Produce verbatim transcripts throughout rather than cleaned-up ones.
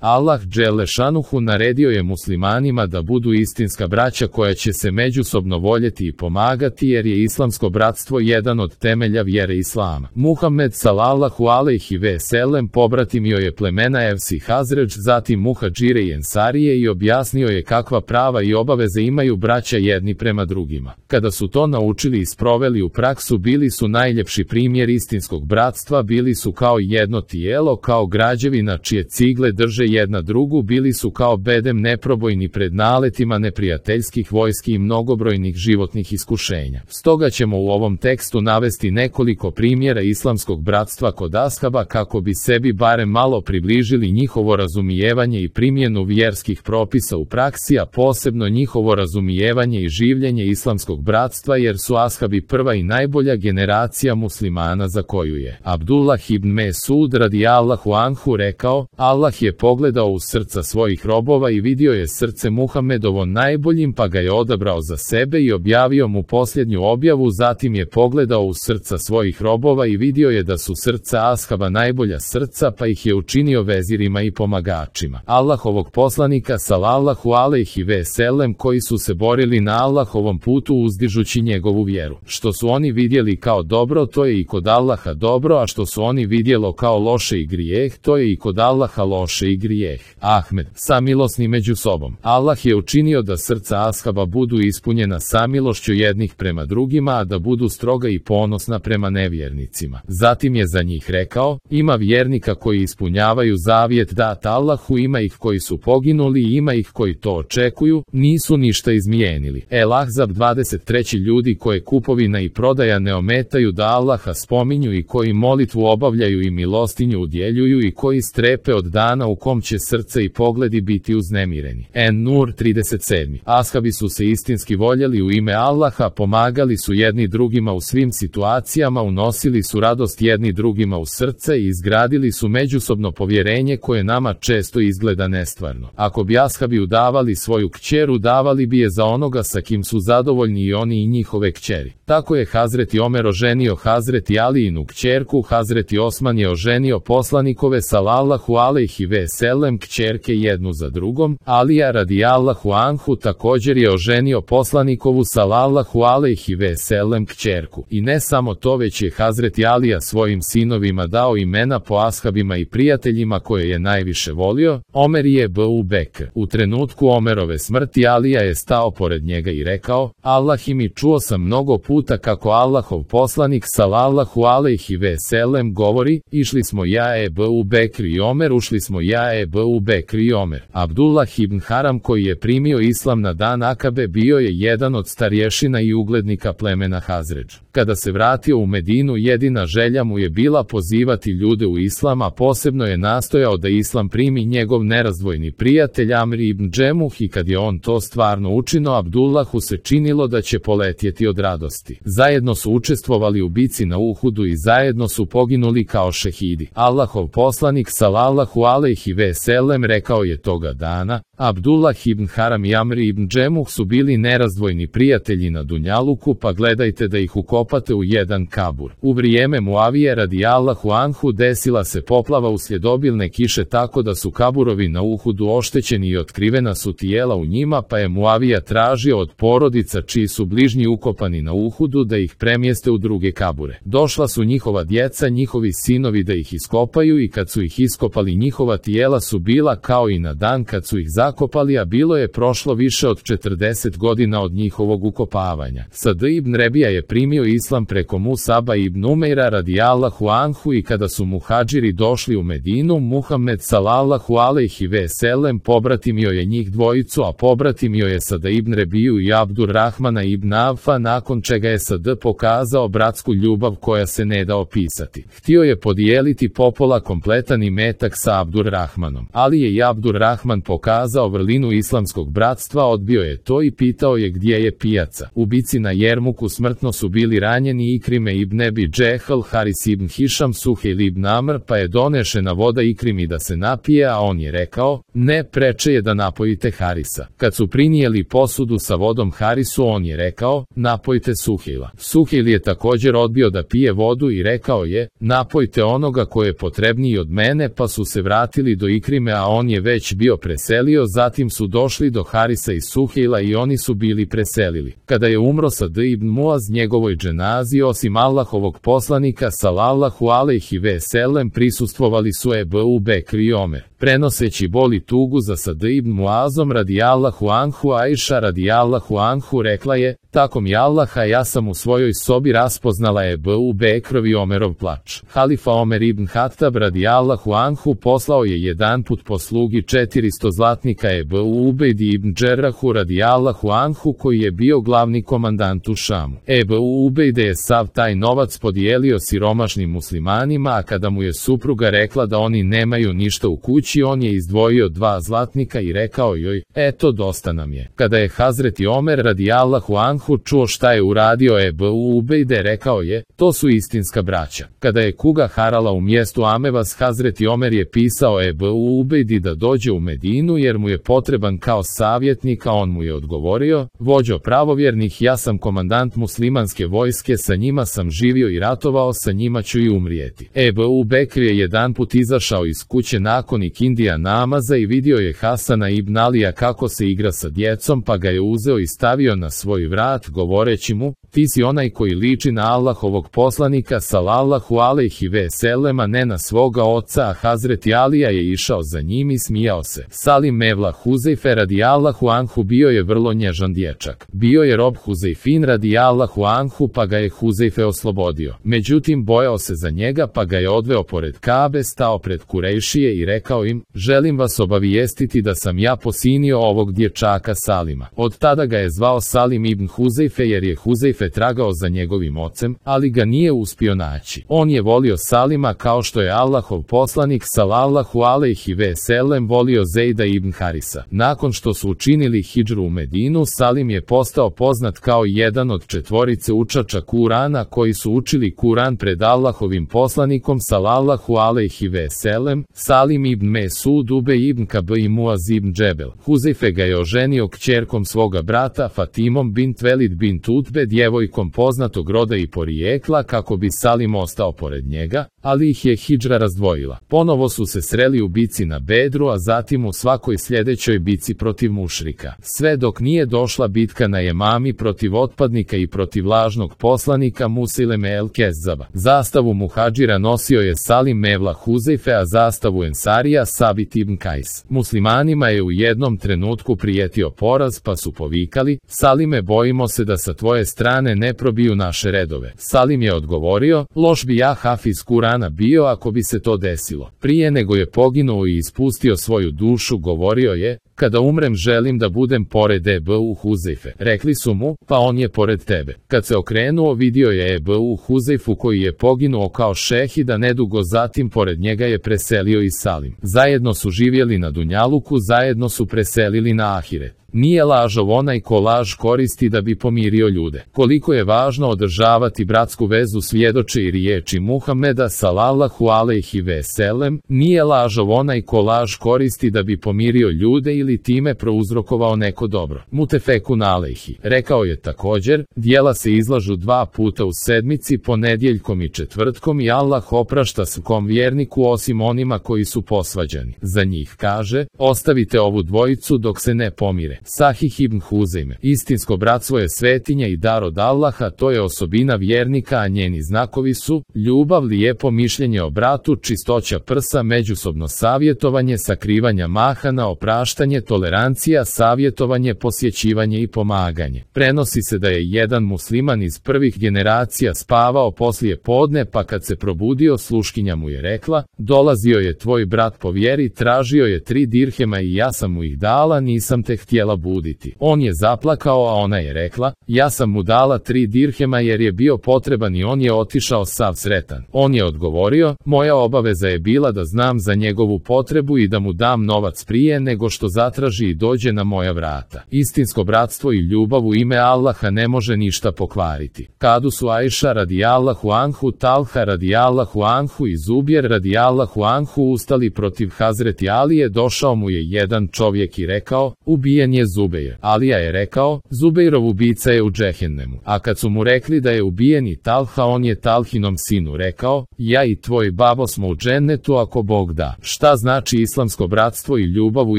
Allah dželešanuhu naredio je muslimanima da budu istinska braća koja će se međusobno voljeti i pomagati jer je islamsko bratstvo jedan od temelja vjere islama. Muhammed sallallahu alejhi ve sellem pobratimio je plemena Evs i Hazredž, zatim Muhadžire i Ensarije i objasnio je kakva prava i obaveze imaju braća jedni prema drugima. Kada su to naučili i sproveli u praksu, bili su najljepši primjer istinskog bratstva, bili su kao jedno tijelo, kao građevina čije cigle drže jedna drugu, bili su kao bedem neprobojni pred naletima neprijateljskih vojski i mnogobrojnih životnih iskušenja. Stoga ćemo u ovom tekstu navesti nekoliko primjera islamskog bratstva kod ashaba kako bi sebi barem malo približili njihovo razumijevanje i primjenu vjerskih propisa u praksi, a posebno njihovo razumijevanje i življenje islamskog bratstva, jer su ashabi prva i najbolja generacija muslimana za koju je Abdullah ibn Mesud radijallahu anhu rekao: Allah je pogledao u srca svojih robova i vidio je srce Muhammedovo najboljim, pa ga je odabrao za sebe i objavio mu posljednju objavu. Zatim je pogledao u srca svojih robova i vidio je da su srca ashaba najbolja srca, pa ih je učinio vezirima i pomagačima Allahovog poslanika sallallahu alejhi ve sellem, koji su se borili na Allahovom putu uzdižući njegovu vjeru. Što su oni vidjeli kao dobro, to je i kod Allaha dobro, a što su oni vidjelo kao loše i grijeh, to je i kod Allaha loše i grijeh. Ahmed, samilosni među sobom. Allah je učinio da srca ashaba budu ispunjena samilošću jednih prema drugima, a da budu stroga i ponosna prema nevjernicima. Zatim je za njih rekao: ima vjernika koji ispunjavaju zavjet dat Allahu, ima ih koji su poginuli i ima ih koji to očekuju, nisu ništa izmijenili. El Ahzab dvadeset tri. Ljudi koje kupovina i prodaja ne ometaju da Allaha spominju i koji molitvu obavljaju i milostinju udjeljuju i koji strepe od dana u kom će srce i pogledi biti uznemireni. En-Nur trideset sedam. Ashabi su se istinski voljeli u ime Allaha, pomagali su jedni drugima u svim situacijama, unosili su radost jedni drugima u srce i izgradili su međusobno povjerenje koje nama često izgleda nestvarno. Ako bi ashabi udavali svoju kćer, davali bi je za onoga sa kim su zadovoljni i oni i njihove kćeri. Tako je Hazreti Omer oženio Hazreti Alijinu kćerku, Hazreti Osman je oženio poslanikove sallallahu alejhi ve sellem kćerke jednu za drugom, Alija radijallahu anhu također je oženio poslanikovu sallallahu alejhi ve sellem kćerku. I ne samo to, već je Hazreti Alija svojim sinovima dao imena po ashabima i prijateljima koje je najviše volio. Omer je Ebu Bekr. U trenutku Omerove smrti Alija je stao pored njega i rekao: Allah mi, čuo sam mnogo puta kako Allahov poslanik sallallahu alejhi ve sellem govori: išli smo ja Ebu Bekr i Omer, ušli smo ja Ebu Bekr i Omer. Abdullah ibn Haram, koji je primio islam na dan Akabe, bio je jedan od starješina i uglednika plemena Hazredž. Kada se vratio u Medinu, jedina želja mu je bila pozivati ljude u islam, a posebno je nastojao da islam primi njegov nerazdvojni prijatelj Amr ibn Džemuh, i kad je on to stvarno učinio, Abdullahu se činilo da će poletjeti od radosti. Zajedno su učestvovali u bici na Uhudu i zajedno su poginuli kao šehidi. Allahov poslanik sallallahu alejhi ve sellem rekao je toga dana: Abdullah ibn Haram i Amr ibn Džemuh su bili nerazdvojni prijatelji na Dunjaluku, pa gledajte da ih ukopate u jedan kabur. U vrijeme Muavije radijallahu anhu desila se poplava uslijed obilne kiše, tako da su kaburovi na Uhudu oštećeni i otkrivena su tijela u njima, pa je Muavija tražio od porodica čiji su bližnji ukopani na Uhudu da ih premjeste u druge kabure. Došla su njihova djeca, njihovi sinovi da ih iskopaju, i kad su ih iskopali, njihova tijela su bila kao i na dan kad su ih zakopali, a bilo je prošlo više od četrdeset godina od njihovog ukopavanja. Sad ibn Rebija je primio islam preko Musaba ibn Umeira radijallahu anhu, i kada su muhadžiri došli u Medinu, Muhammed sallallahu alejhi ve sellem pobratimio je njih dvojicu, a pobratimio je Sada ibn Rebiju i Abdurrahmana ibn Avfa, nakon čega je Sad pokazao bratsku ljubav koja se ne da opisati. Htio je podijeliti popola kompletan imetak sa Abdurrahmanom, ali je i Abdurrahman pokazao pokazao vrlinu islamskog bratstva, odbio je to i pitao je gdje je pijaca. U bici na Jermuku smrtno su bili ranjeni Ikrime ibn Ebi Džehl, Haris ibn Hišam, Suhejl ibn Amr, pa je donešena voda Ikrimi da se napije, a on je rekao, ne, preče je da napojite Harisa. Kad su prinijeli posudu sa vodom Harisu, on je rekao, napojte Suhejla. Suhejl je također odbio da pije vodu i rekao je, napojte onoga ko je potrebniji od mene, pa su se vratili do Ikrime, a on je već bio preselio, zatim su došli do Harisa i Suhejla i oni su bili preselili. Kada je umro Sad ibn Muaz, njegovoj dženazi, osim Allahovog poslanika sallallahu alejhi ve sellem, prisustvovali su Ebu Bekr i Omer. Prenoseći bol i tugu za Sad ibn Muazom radijallahu anhu, Ajša radijallahu anhu rekla je, tako mi Allaha, ja sam u svojoj sobi raspoznala Ebu Bekrov i Omerov plač. Halifa Omer ibn Hatab radijallahu anhu poslao je jedanput po slugi četiristo zlatnika Ebu Ubejdi ibn Džerrahu radijallahu anhu, koji je bio glavni komandant u Šamu. Ebu Ubejde je sav taj novac podijelio siromašnim muslimanima, a kada mu je supruga rekla da oni nemaju ništa u kući, on je izdvojio dva zlatnika i rekao joj, eto, dosta nam je. Kada je Hazreti Omer radijallahu anhu čuo šta je uradio Ebu Ubejde, rekao je, to su istinska braća. Kada je kuga harala u mjestu Amevas, Hazreti Omer je pisao Ebu Ubejdi da dođe u Medinu jer mu je potreban kao savjetnik, a on mu je odgovorio, vođo pravovjernih, ja sam komandant muslimanske vojske, sa njima sam živio i ratovao, sa njima ću i umrijeti. Ebu Bekr je jedanput izašao iz kuće nakon ikindija namaza i vidio je Hasana ibn Alija kako se igra sa djecom, pa ga je uzeo i stavio na svoj vrat, govoreći mu, ti si onaj koji liči na Allahovog poslanika sallallahu alejhi ve sellem, a ne na svoga oca, a Hazreti Alija je išao za njim i smijao se. Salim Mevla Huzejfe radijallahu anhu bio je vrlo nježan dječak. Bio je rob Huzejfin radijallahu anhu, pa ga je Huzejfe oslobodio. Međutim, bojao se za njega, pa ga je odveo pored Kabe, stao pred Kurejšije i rekao im, želim vas obavijestiti da sam ja posinio ovog dječaka Salima. Od tada ga je zvao Salim ibn Huzejfe jer je Huzejfe tragao za njegovim ocem, ali ga nije uspio naći. On je volio Salima kao što je Allahov poslanik sallallahu alejhi ve sellem volio Zejda ibn Harisa. Nakon što su učinili hidžru u Medinu, Salim je postao poznat kao jedan od četvorice učača Kurana koji su učili Kuran pred Allahovim poslanikom sallallahu alejhi ve sellem, Salim ibn Mesud, Ubej ibn Kab i Muaz ibn Džebel. Huzejfe ga je oženio kćerkom svoga brata Fatimom bint Velid bint Utbe, djevojkom poznatog roda i porijekla, kako bi Salim ostao pored njega, ali ih je hidžra razdvojila. Ponovo su se sreli u bici na Bedru, a zatim u svakoj sljedećoj bici protiv mušrika. Sve dok nije došla bitka na Jemami protiv otpadnika i protiv lažnog poslanika Musileme el Kezzaba. Zastavu muhadžira nosio je Salim Mevla Huzejfe, a zastavu Ensarija Sabit ibn Kajs. Muslimanima je u jednom trenutku prijetio poraz, pa su povikali, Salime, bojimo se da sa tvoje strane ne probiju naše redove. Salim je odgovorio, loš bi ja hafiz Kurana bio ako bi se to desilo. Prije nego je poginuo i ispustio svoju dušu, govorio je, kada umrem želim da budem pored Ebu Huzejfe. Rekli su mu, pa on je pored tebe. Kad se okrenuo, vidio je Ebu Huzejfu koji je poginuo kao šehid, a nedugo zatim pored njega je preselio i Salim. Zajedno su živjeli na Dunjaluku, zajedno su preselili na Ahiret. Nije lažov onaj ko laž koristi da bi pomirio ljude. Koliko je važno održavati bratsku vezu svjedoče i riječi Muhameda sallallahu alejhi ve sellem, nije lažov onaj ko laž koristi da bi pomirio ljude ili time prouzrokovao neko dobro. Mutefekun alejhi. Rekao je također, djela se izlažu dva puta u sedmici, ponedjeljkom i četvrtkom, i Allah oprašta svakom vjerniku osim onima koji su posvađani. Za njih kaže, ostavite ovu dvojicu dok se ne pomire. Sahih ibn Huzejme. Istinsko bratstvo je svetinja i dar od Allaha, to je osobina vjernika, a njeni znakovi su ljubav, lijepo mišljenje o bratu, čistoća prsa, međusobno savjetovanje, sakrivanja mahana, opraštanje, tolerancija, savjetovanje, posjećivanje i pomaganje. Prenosi se da je jedan musliman iz prvih generacija spavao poslije podne, pa kad se probudio, sluškinja mu je rekla, dolazio je tvoj brat po vjeri, tražio je tri dirhema i ja sam mu ih dala, nisam te htjela htjela buditi. On je zaplakao, a ona je rekla, ja sam mu dala tri dirhema jer je bio potreban i on je otišao sav sretan. On je odgovorio, moja obaveza je bila da znam za njegovu potrebu i da mu dam novac prije nego što zatraži i dođe na moja vrata. Istinsko bratstvo i ljubav u ime Allaha ne može ništa pokvariti. Kadu su Ajša radijallahu anhu, Talha radijallahu anhu i Zubjer radijallahu anhu ustali protiv Hazreti Alije, došao mu je jedan čovjek i rekao, ubijen je Zubejr. Alija je rekao, Zubejrov ubica je u džehennemu. A kad su mu rekli da je ubijen i Talha, on je Talhinom sinu rekao, ja i tvoj babo smo u džennetu ako Bog da. Šta znači islamsko bratstvo i ljubav u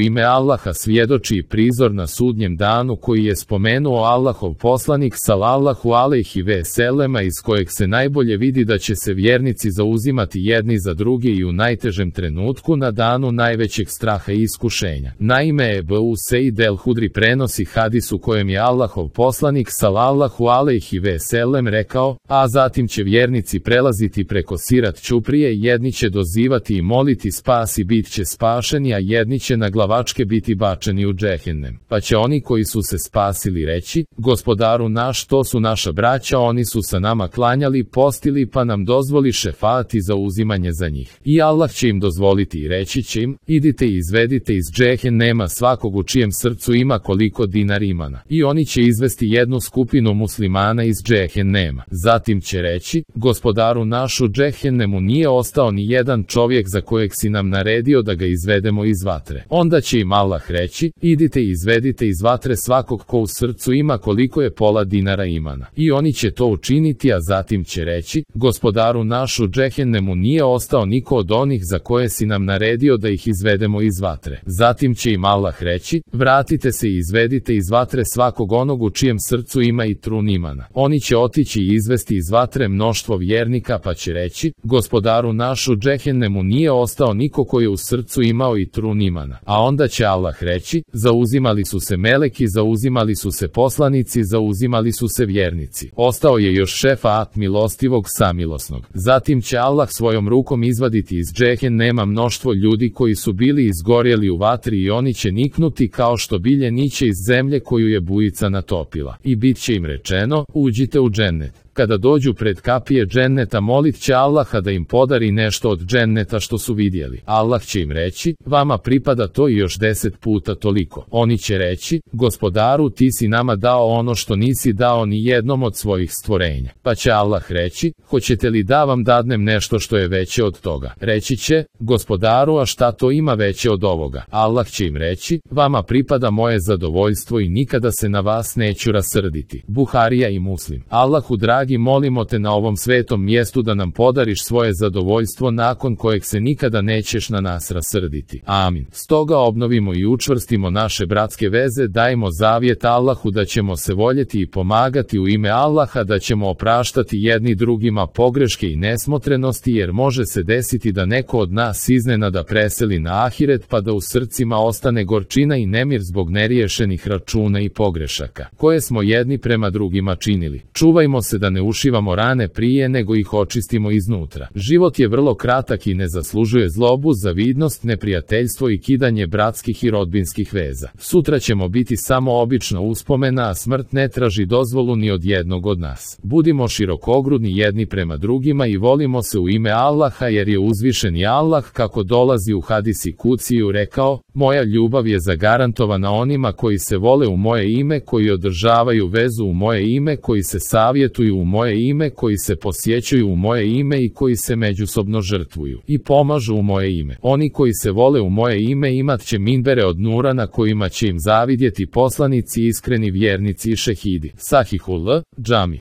ime Allaha svjedoči i prizor na sudnjem danu koji je spomenuo Allahov poslanik sallallahu alejhi ve selema, iz kojeg se najbolje vidi da će se vjernici zauzimati jedni za druge i u najtežem trenutku na danu najvećeg straha i iskušenja. Naime, Ebu Seid el-Hudri prenosi hadis u kojem je Allahov poslanik sallallahu alejhi ve selem rekao, a zatim će vjernici prelaziti preko Sirat ćuprije, jedni će dozivati i moliti spas i bit će spašeni, a jedni će na glavačke biti bačeni u džehennem. Pa će oni koji su se spasili reći, gospodaru naš, to su naša braća, oni su sa nama klanjali, postili, pa nam dozvoli šefati za uzimanje za njih. I Allah će im dozvoliti i reći će im, idite i izvedite iz džehennema svakog u čijem srcu ima koliko dinar imana. I oni će izvesti jednu skupinu muslimana iz džehennema. Zatim će reći, gospodaru naš, u džehennemu nije ostao ni jedan čovjek za kojeg si nam naredio da ga izvedemo iz vatre. Onda će im Allah reći, idite i izvedite iz vatre svakog ko u srcu ima koliko je pola dinara imana. I oni će to učiniti, a zatim će reći, gospodaru naš, u džehennemu nije ostao niko od onih za koje si nam naredio da ih izvedemo iz vatre. Zatim će im Allah reći, vratite se i izvedite iz vatre svakog onog u čijem srcu ima i trun imana. Oni će otići i izvesti iz vatre mnoštvo vjernika, pa će reći, gospodaru naš, u džehennemu nije ostao niko koji je u srcu imao i trun imana. A onda će Allah reći, zauzimali su se meleki, zauzimali su se poslanici, zauzimali su se vjernici. Ostao je još šefaat milostivog samilosnog. Zatim će Allah svojom rukom izvaditi iz džehennema mnoštvo ljudi koji su bili izgorjeli u vatri i oni će niknuti kao što bilje niće iz zemlje koju je bujica natopila. I bit će im rečeno, uđite u džennet. Kada dođu pred kapije dženneta, molit će Allaha da im podari nešto od dženneta što su vidjeli. Allah će im reći, vama pripada to i još deset puta toliko. Oni će reći, gospodaru, ti si nama dao ono što nisi dao ni jednom od svojih stvorenja. Pa će Allah reći, hoćete li da vam dadnem nešto što je veće od toga? Reći će, gospodaru, a šta to ima veće od ovoga? Allah će im reći, vama pripada moje zadovoljstvo i nikada se na vas neću rasrditi. Buharija i Muslim. Allahu dragi, molimo te na ovom svetom mjestu da nam podariš svoje zadovoljstvo nakon kojeg se nikada nećeš na nas rasrditi. Amin. Stoga obnovimo i učvrstimo naše bratske veze, dajmo zavjet Allahu da ćemo se voljeti i pomagati u ime Allaha, da ćemo opraštati jedni drugima pogreške i nesmotrenosti, jer može se desiti da neko od nas iznenada preseli na ahiret, pa da u srcima ostane gorčina i nemir zbog neriješenih računa i pogrešaka koje smo jedni prema drugima činili. Čuvajmo se da ne ušivamo rane prije nego ih očistimo iznutra. Život je vrlo kratak i ne zaslužuje zlobu, zavidnost, neprijateljstvo i kidanje bratskih i rodbinskih veza. Sutra ćemo biti samo obična uspomena, a smrt ne traži dozvolu ni od jednog od nas. Budimo širokogrudni jedni prema drugima i volimo se u ime Allaha, jer je uzvišeni Allah, kako dolazi u hadisi Kuciju, rekao, moja ljubav je zagarantovana onima koji se vole u moje ime, koji održavaju vezu u moje ime, koji se savjetuju u moje ime, koji se posjećuju u moje ime i koji se međusobno žrtvuju i pomažu u moje ime. Oni koji se vole u moje ime imat će minbere od nura na kojima će im zavidjeti poslanici, iskreni vjernici i šehidi. Sahihul Džami.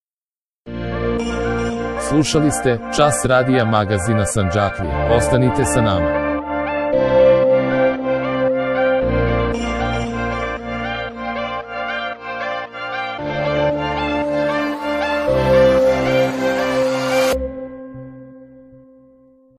Slušali ste Čas radija magazina Sandžaklija. Ostanite sa nama.